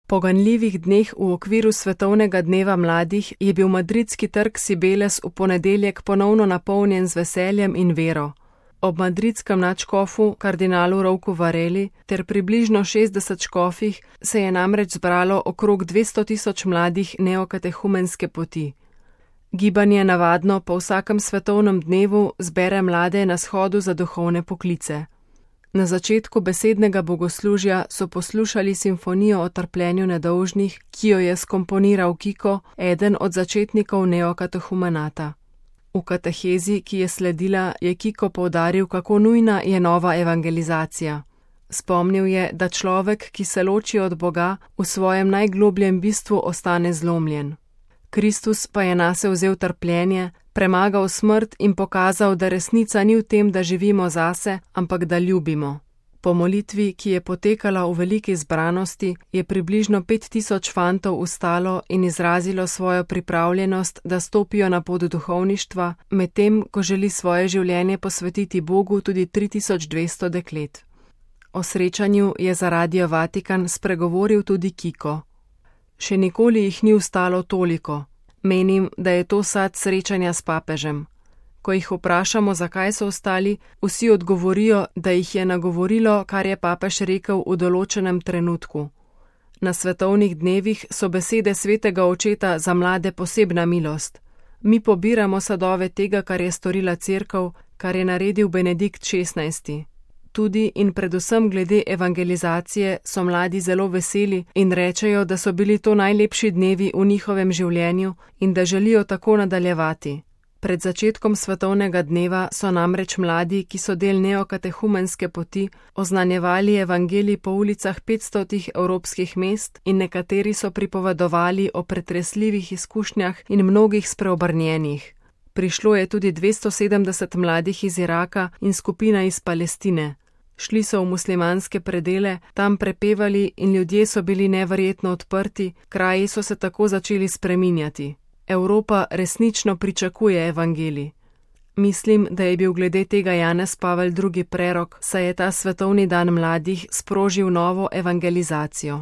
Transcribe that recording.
Po ganljivih dneh v okviru Svetovnega dneva mladih je bil madridski trg Cibeles v ponedeljek ponovno napolnjen z veseljem in vero. Ob madridskem nadškofu kardinalu Rouku Vareli ter približno 60 škofih se je namreč zbralo okrog 200.000 mladih neokatehumenske poti. Gibanje navadno po vsakem svetovnem dnevu zbere mlade na shodu za duhovne poklice. Na začetku besednega bogoslužja so poslušali simfonijo o trpljenju nedolžnih, ki jo je skomponiral Kiko, eden od začetnikov neokatehumenata. V katehezi, ki je sledila, je Kiko poudaril, kako nujna je nova evangelizacija. Spomnil je, da človek, ki se loči od Boga, v svojem najglobljem bistvu ostane zlomljen. Kristus pa je nase vzel trpljenje, premagal smrt in pokazal, da resnica ni v tem, da živimo zase, ampak da ljubimo. Po molitvi, ki je potekala v veliki zbranosti, je približno 5000 fantov vstalo in izrazilo svojo pripravljenost, da stopijo na pot duhovništva, medtem ko želi svoje življenje posvetiti Bogu tudi 3200 deklet. O srečanju je za Radio Vatikan spregovoril tudi Kiko. Še nikoli jih ni vstalo toliko. Menim, da je to sad srečanja s papežem. Ko jih vprašamo, zakaj so vstali, vsi odgovorijo, da jih je nagovorilo, kar je papež rekel v določenem trenutku. Na svetovnih dnevih so besede svetega očeta za mlade posebna milost. Mi pobiramo sadove tega, kar je storila Cerkev, kar je naredil Benedikt XVI. Tudi in predvsem glede evangelizacije so mladi zelo veseli in rečejo, da so bili to najlepši dnevi v njihovem življenju in da želijo tako nadaljevati. Pred začetkom svetovnega dneva so namreč mladi, ki so del neokatehumenske poti, oznanjevali evangelij po ulicah 500 evropskih mest in nekateri so pripovedovali o pretresljivih izkušnjah in mnogih spreobrnjenih. Prišlo je tudi 270 mladih iz Iraka in skupina iz Palestine. Šli so v muslimanske predele, tam prepevali in ljudje so bili neverjetno odprti, kraji so se tako začeli spreminjati. Evropa resnično pričakuje evangelij. Mislim, da je bil glede tega Janez Pavel II. Prerok, saj je ta svetovni dan mladih sprožil novo evangelizacijo.